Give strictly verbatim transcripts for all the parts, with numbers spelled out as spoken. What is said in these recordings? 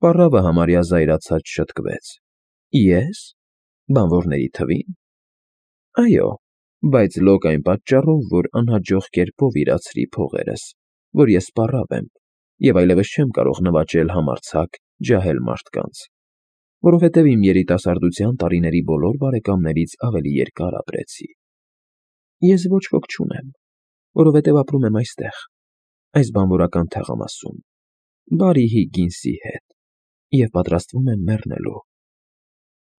Պառավը համարյա զայրացած շտկվեց. Ե՞ս, բանվորների թվի՞ն։ Այո, բայց լոկ այն պատճառով, որ անհաջող կերպով իրացրի փողերս, որ ես պառավ եմ, և այլևս չեմ կարող նվաճել համարձակ, ջահել մարդկանց, որովհետև իմ երիտասարդության տարիների բոլոր բարեկամներից ավելի երկար ապրեցի։ Ես ոչ ոք չունեմ, որովհետև ապրում եմ այստեղ, այս բանվորական թաղամասում, բարի Հիգինսի հետ, և պատրաստվում եմ մեռնելու։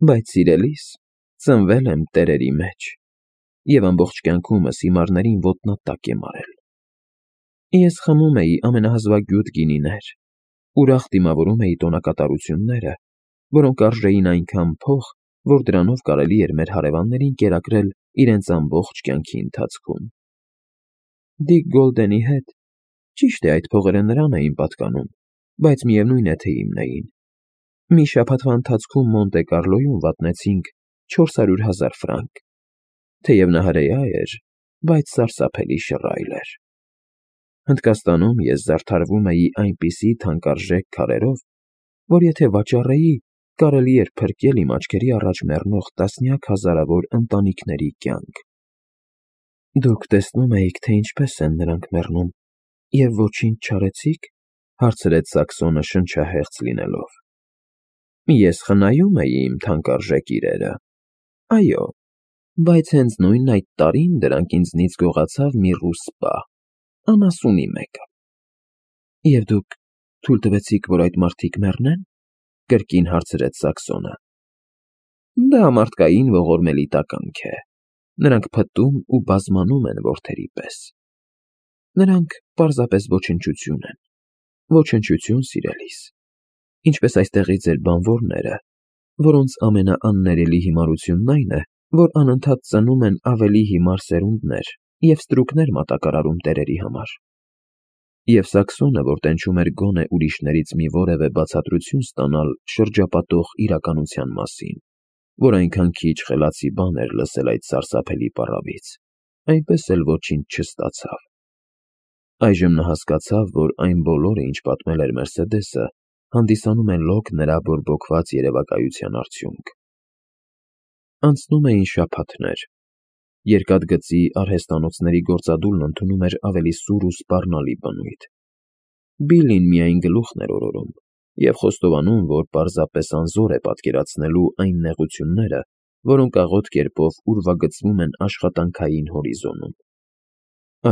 Բայց, սիրելիս, ծնվել եմ տերերի մեջ և ամբողջ կյանքումս հիմարներին ոտնատակ եմ արել։ Ես խմում էի ամենահզվագյուտ գինիներ, ուրախ դիմավորում էի տոնակատարությունները, որոնք արժեին այնքան փող, որ դրանով կարելի էր մեր հարևաններին կերակրել իրենց ամբողջ կյանքի ընթացքում։ Դիկ Գոլդենի հետ, ճիշտ է, այդ փողերը նրան էին պատկանում, բայց միևնույն է, թե իմն էին։ Մի շաբաթվա ընթացքում Մոնտե Կառլոյում վատնեցինք չորս հարյուր հազար ֆրանկ, թեև նա հրեա էր, բայց սարսափելի շռայլ էր։ Հնդկաստանում ես զարդարվում էի այնպիսի թանկարժեք քարերով, որ եթե վաճառեի, կարելի էր փրկել իմ աչքերի առաջ մեռնող տասնյակ հազարավոր ընտանիքների կյանք։ Դուք տեսնում էիք, թե ինչպես են նրանք մեռնում, և ոչինչ չարեցի՞ք, հարցրեց Սաքսոնը շնչահեղձ լինելով։ Ես խնայում էի իմ թանկարժեք իրերը։ Այո, բայց հենց նույն այդ տարին դրանք ինձնից գողացավ մի ռուս սպա, անասունի մեկը։ Եվ դուք թույլ տվեցիք, որ այդ մարդիկ մեռնե՞ն, կրկին հարցրեց Սաքսոնը։ Դա մարդկային ողորմելի տականք է, նրանք փտտում ու բազմանում են որդերի պես։ Նրանք պարզապես ոչնչություն են, ոչնչություն, սիրելիս, ինչպես այստեղի ձեր բանվորները, որոնց ամենաաններելի հիմարությունն այն է, որ անընդհատ ծնում են ավելի հիմար սերունդներ և ստրուկներ մատակարարում տերերի համար։ Եվ Սաքսոնը, որ տենչում էր գոնե ուրիշներից մի որևէ բացատրություն ստանալ շրջապատող իրականության մասին, որ այնքան քիչ խելացի բան էր լսել այդ սարսափելի պառավից, այնպես էլ ոչինչ չստացավ։ Այժմ նա հասկացավ, որ այն բոլորը, ինչ պատմել էր Մերսեդեսը, հանդիսանում է լոկ նրա բորբոքված երևակայության արդյունք։ Անցնում էին շաբաթներ։ Երկաթգծի արհեստանոցների գործադուլն ընդունում էր ավելի սուր ու սպառնալի բնույթ։ Բիլլին միայն գլուխն էր օրորում և խոստովանում, որ պարզապես անզոր է պատկերացնելու այն նեղությունները, որոնք աղոտ կերպով ուրվագծվում են աշխատանքային հորիզոնում։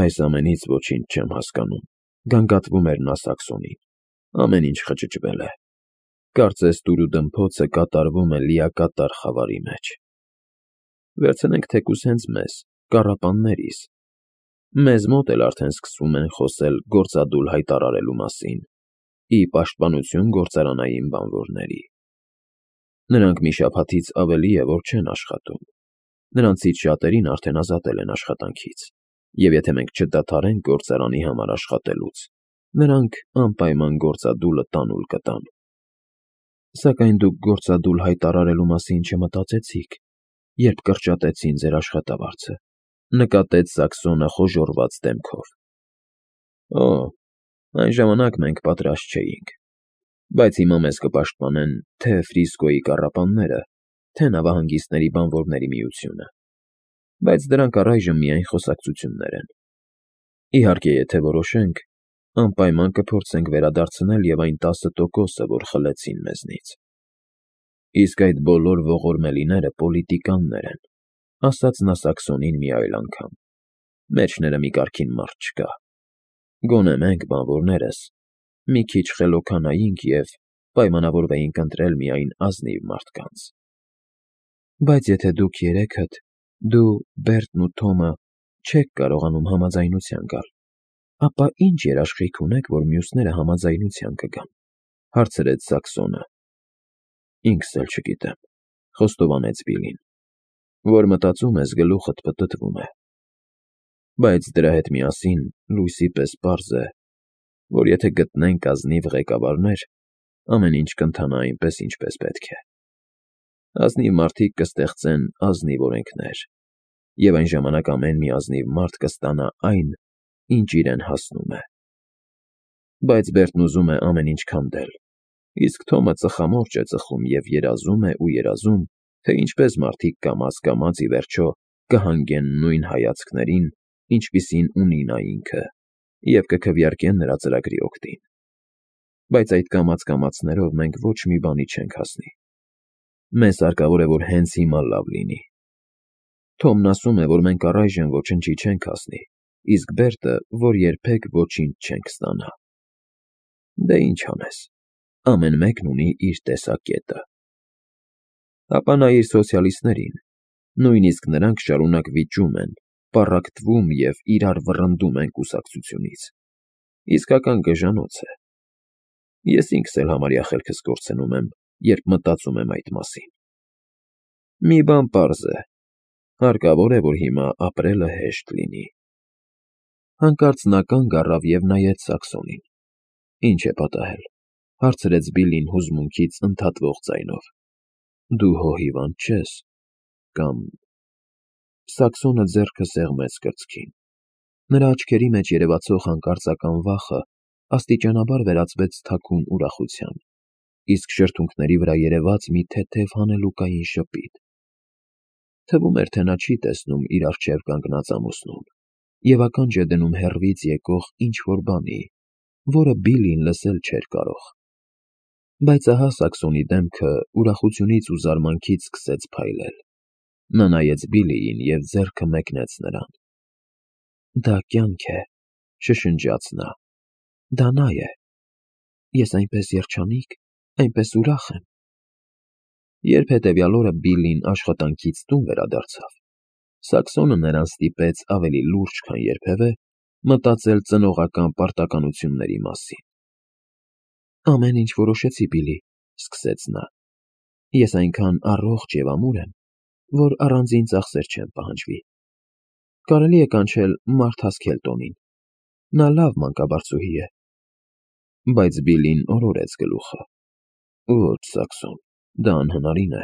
Այս ամենից ոչինչ չեմ հասկանում, գանգատվում էր նա Սաքսոնին։ Ամեն ինչ խճճվել է։ Կարծես տուրուդմփոցը կատարվում է լիակատար խավարի մեջ։ Վերցնենք թեկուզ հենց մեզ, կառապաններիս։ Մեզ մոտ էլ արդեն սկսում են խոսել գործադուլ հայտարարելու մասին, ի պաշտպանություն գործարանային բանվորների։ Նրանք մի շաբաթից ավելի է, որ չեն աշխատում։ Նրանցից շատերին արդեն ազատել են աշխատանքից, և եթե մենք չդադարենք գործարանի համար աշխատելուց, նրանք անպայման գործադուլը տանուլ կտան։ Սակայն դուք գործադուլ հայտարարելու մասին չմտածեցիք, երբ կրճատեցին ձեր աշխատավարձը, նկատեց Սաքսոնը խոժոռված դեմքով։ Օ, այն ժամանակ մենք պատրաստ չէինք, բայց հիմա մեզ կպաշտպանեն թե Ֆրիսկոյի կառապանները, թե նավահանգիստների բանվորների միությունը, բայց դրանք առայժմ միայն խոսակցություններ են։ Իհարկե, եթե որոշենք, անպայման կփորձենք վերադարձնել և այն տասը տոկոսը, որ խլեցին մեզնից։ Իսկ այդ բոլոր ողորմելիները պոլիտիկաններ են, ասաց նա Սաքսոնին մի այլ անգամ, մեջները մի կարգին մարդ չկա։ Գոնե մենք, բանվորներս, մի քիչ խելոքանայինք և պայմանավորվեինք ընտրել միայն ազնիվ մարդկանց։ Բայց եթե դուք երեքդ, դու, Բերտն ու Թոմը, չեք կարողանում համաձայնության գալ, ապա ի՞նչ երաշխիք ունեք, որ մյուսները համաձայնության կգան, հարցրեց Սաքսոնը։ Ինքս էլ չգիտեմ, խոստովանեց Բիլին, որ մտածում ես գլուխդ պտտվում է։ Բայց դրա հետ միասին լույսի պես պարզ է, որ եթե գտնենք ազնիվ ղեկավարներ, ամեն ինչ կընթանա այնպես, ինչպես պետք է։ Ազնիվ մարդիկ կստեղծեն ազնիվ օրենքներ, և այն ժամանակ ամեն մի ազնիվ մարդ կստանա այն, ինչ իրեն հասնում է։ Բայց Բերտն ուզում է ամեն ինչ քանդել, Իսկ Թոմը ծխամորճ է ծխում և երազում է ու երազում, թե ինչպես մարդիկ կամաց֊կամաց ի վերջո կհանգեն նույն հայացքներին, ինչպիսին ունի նա ինքը, և կքվեարկեն նրա ծրագրի օգտին։ Բայց այդ կամաց֊կամացներով մենք ոչ մի բանի չենք հասնի։ Մեզ հարկավոր է, որ հենց հիմա լավ լինի։ Թոմն ասում է, որ մենք առայժմ ոչնչի չենք հասնի, իսկ Բերտը, որ երբեք ոչինչ չենք ստանա։ Դե ինչ անես, ամեն մեկն ունի իր տեսակետը։ Ապա նայիր սոցիալիստներին, նույնիսկ նրանք շարունակ վիճում են, պառակտվում և իրար վռնդում են կուսակցությունից։ Իսկական գժանոց է։ Ես ինքս էլ համարյա խելքս կորցնում եմ, երբ մտածում եմ այդ մասին։ Մի բան պարզ է. հարկավոր է, որ հիմա ապրելը հեշտ լինի։ Հանկարծ նա կանգ առավ և նայեց Սաքսոնին։ Ինչ է պատահել, հարցրեց Բիլլին հուզմունքից ընդհատվող ձայնով։ Դու հո հիվանդ չես, կամ… Սաքսոնը ձեռքը սեղմեց կրծքին։ Նրա աչքերի մեջ երևացող հանկարծական վախը աստիճանաբար վերածվեց թաքուն ուրախության, իսկ շրթունքների վրա երևաց մի թեթև հանելուկային շպիտ։ Թվում էր, թե նա չի տեսնում իր առջև կանգնած ամուսնուն և ականջ է դնում հեռվից եկող ինչ֊որ բանի, որը Բիլլին լսել չէր կարող։ Բայց ահա Սաքսոնի դեմքը ուրախությունից ու զարմանքից սկսեց փայլել։ Նա նայեց Բիլլիին և ձեռքը մեկնեց նրան։ Դա կյանք է, շշնջաց նա։ Դա նա է։ Ես այնպես երջանիկ, այնպես ուրախ եմ։ Երբ հետևյալ օրը Բիլլին աշխատանքից տուն վերադարձավ, Սաքսոնը նրան ստիպեց ավելի լուրջ, քան երբևէ, մտածել ծնողական պարտականությունների մասին։ Ամեն ինչ որոշեցի, Բիլլի, սկսեց նա։ Ես այնքան առողջ և ամուր եմ, որ առանձին ծախսեր չեմ պահանջվի։ Կարելի է կանչել Մարթա Սքելտոնին։ Նա լավ մանկաբարձուհի է։ Բայց Բիլլին օրորեց գլուխը։ Ոչ, Սաքսոն, դա անհնարին է։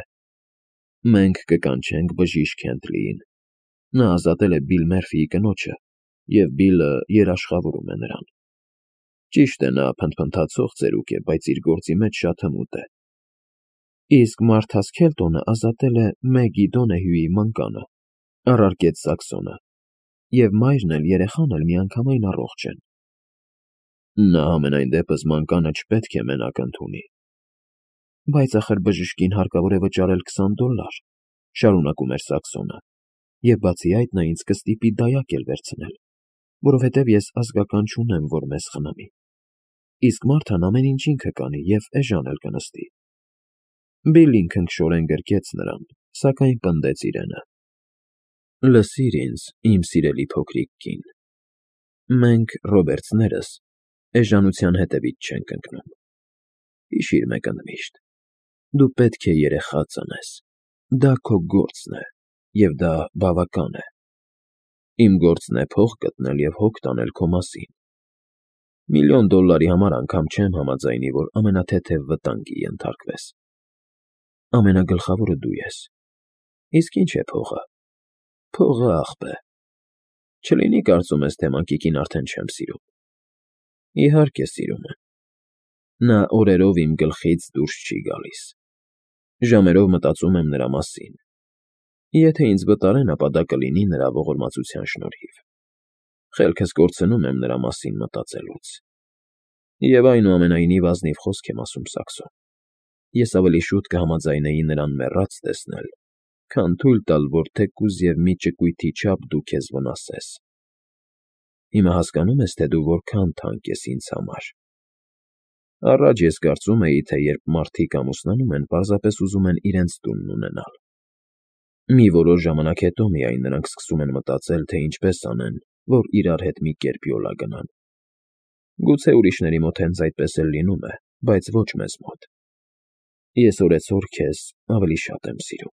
Մենք կկանչենք բժիշկ Քենթլիին։ Նա ազատել է Բիլ Մերֆիի կնոջը, և Բիլլը երաշխավորում է նրան։ Ճիշտ է, նա փնթփնթացող ծերուկ է, բայց իր գործի մեջ շատ հմուտ է։ Իսկ Մարթա Սքելտոնը ազատել է Մեգի Դոնեհյուի մանկանը, առարկեց Սաքսոնը, և մայրն էլ երեխան էլ միանգամայն առողջ են։ Նա համենայն դեպս մանկանը չպետք է մենակ ընդունի։ Բայց ախր բժշկին հարկավոր է վճարել քսան դոլար, շարունակում էր Սաքսոնը, և բացի այդ նա ինձ կստիպի դայակ էլ վերցնել, որովհետև ես ազգական չունեմ, որ մեզ խնամի։ Իսկ Մարթան ամեն ինչ ինքը կանի և էժան էլ կնստի։ Բիլլին քնքշորեն գրկեց նրան, սակայն պնդեց իրենը։ Լսիր ինձ, իմ սիրելի փոքրիկ կին, մենք, Ռոբերտսներս, էժանության հետևից չենք ընկնում։ Հիշիր մեկ ընդմիշտ. դու պետք է երեխա ծնես։ Դա քո գործն է, և դա բավական է։ Իմ գործն է փող գտնել և հոգ տանել քո մասին։ Միլիոն դոլարի համար անգամ չեմ համաձայնի, որ ամենաթեթև վտանգի ենթարկվես։ Ամենագլխավորը դու ես։ Իսկ ինչ է փողը։ Փողը աղբ է։ Չլինի կարծում ես, թե մանկիկին արդեն չեմ սիրում։ Իհարկե սիրում եմ։ Նա օրերով իմ գլխից դուրս չի գալիս։ Ժամերով մտածում եմ նրա մասին։ Եթե ինձ վտարեն, ապա դա կլինի նրա ողորմածության շնորհիվ։ Խելքս կորցնում եմ նրա մասին մտածելուց։ Եվ այնուամենայնիվ ազնիվ խոսք եմ ասում, Սաքսոն։ Ես ավելի շուտ կհամաձայնեի նրան մեռած տեսնել, քան թույլ տալ, որ թեկուզ և մի ճկույթի չափ դու քեզ վնասես։ Հիմա հասկանո՞ւմ ես, թե դու որքան թանկ ես ինձ համար։ Առաջ ես կարծում էի, թե երբ մարդիկ ամուսնանում են, պարզապես ուզում են իրենց տունն ունենալ։ Մի որոշ ժամանակ հետո միայն նրանք սկսում են մտածել, թե ինչպես անեն, որ իրար հետ մի կերպ յոլա գնան։ Գուցե ուրիշների մոտ հենց այդպես էլ լինում է, բայց ոչ մեզ մոտ։ Ես օրեցօր քեզ ավելի շատ եմ սիրում։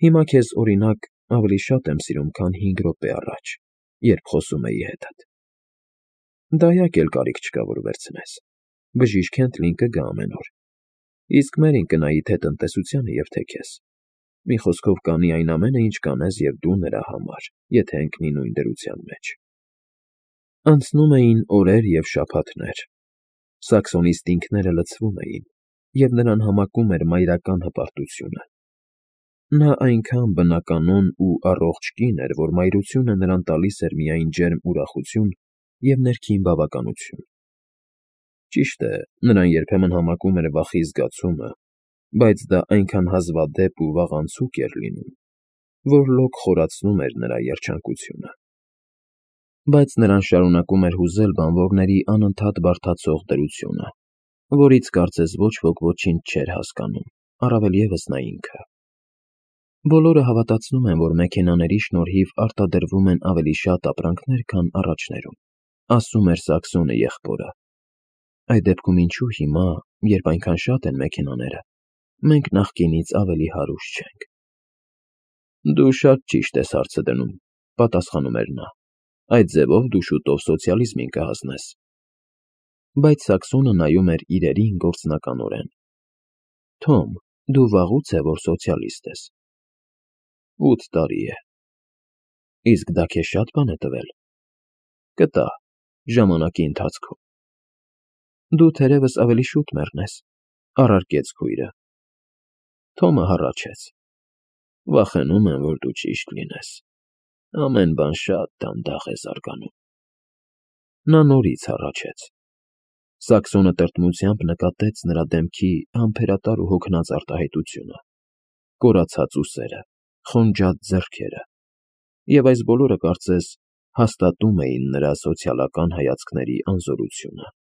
Հիմա քեզ, օրինակ, ավելի շատ եմ սիրում, քան հինգ րոպե առաջ, երբ խոսում էի հետդ։ Դայակ էլ կարիք չկա, որ վերցնես։ Բժիշկ Քենթլին կգա ամեն օր։ Իսկ Մերին կնայի թե տնտեսությանը և թե քեզ։ Մի խոսքով կանի այն ամենը, ինչ կանես և դու նրա համար, եթե ընկնի նույն դրության մեջ։ Անցնում էին օրեր և շաբաթներ։ Սաքսոնի ստինքները լցվում էին, և նրան համակում էր մայրական հպարտությունը։ Նա այնքան բնականոն ու առողջ կին էր, որ մայրությունը նրան տալիս էր միայն ջերմ ուրախություն և ներքին բավականություն։ Ճիշտ է, նրան երբեմն համակում էր վախի զգացումը, բայց դա այնքան հազվադեպ ու վաղանցուկ էր լինում, որ լոկ խորացնում էր նրա երջանկությունը։ Բայց նրան շարունակում էր հուզել բանվորների անընդհատ բարդացող դրությունը, որից կարծես ոչ ոք ոչինչ չէր հասկանում, առավել ևս նա ինքը։ Բոլորը հավատացնում են, որ մեքենաների շնորհիվ արտադրվում են ավելի շատ ապրանքներ, քան առաջներում, ասում էր Սաքսոնը եղբորը։ Այդ դեպքում ինչու հիմա, երբ այնքան շատ են մեքենաները, մենք նախկինից ավելի հարուստ չենք։ Դու շատ ճիշտ ես հարցը դնում, պատասխանում էր նա, այդ ձևով դու շուտով սոցիալիզմին կհասնես։ Բայց Սաքսոնը նայում էր իրերին գործնականորեն։ Թոմ, դու վաղուց է, որ սոցիալիստ ես։ Ութ տարի է։ Իսկ դա քեզ շատ բան է տվել։ Կտա, ժամանակի ընթացքում։ Դու թերևս ավելի շուտ մեռնես, առարկեց քույրը։ Թոմը հառաչեց. Վախենում եմ, որ դու ճիշտ լինես։ Ամեն բան շատ դանդաղ է զարգանում։ Նա նորից հառաչեց։ Սաքսոնը տրտմությամբ նկատեց նրա դեմքի համբերատար ու հոգնած արտահայտությունը, կորացած ուսերը, խոնջատ ձեռքերը, և այս բոլորը կարծես հաստատում էին նրա սոցիալական հայացքների անզորությունը։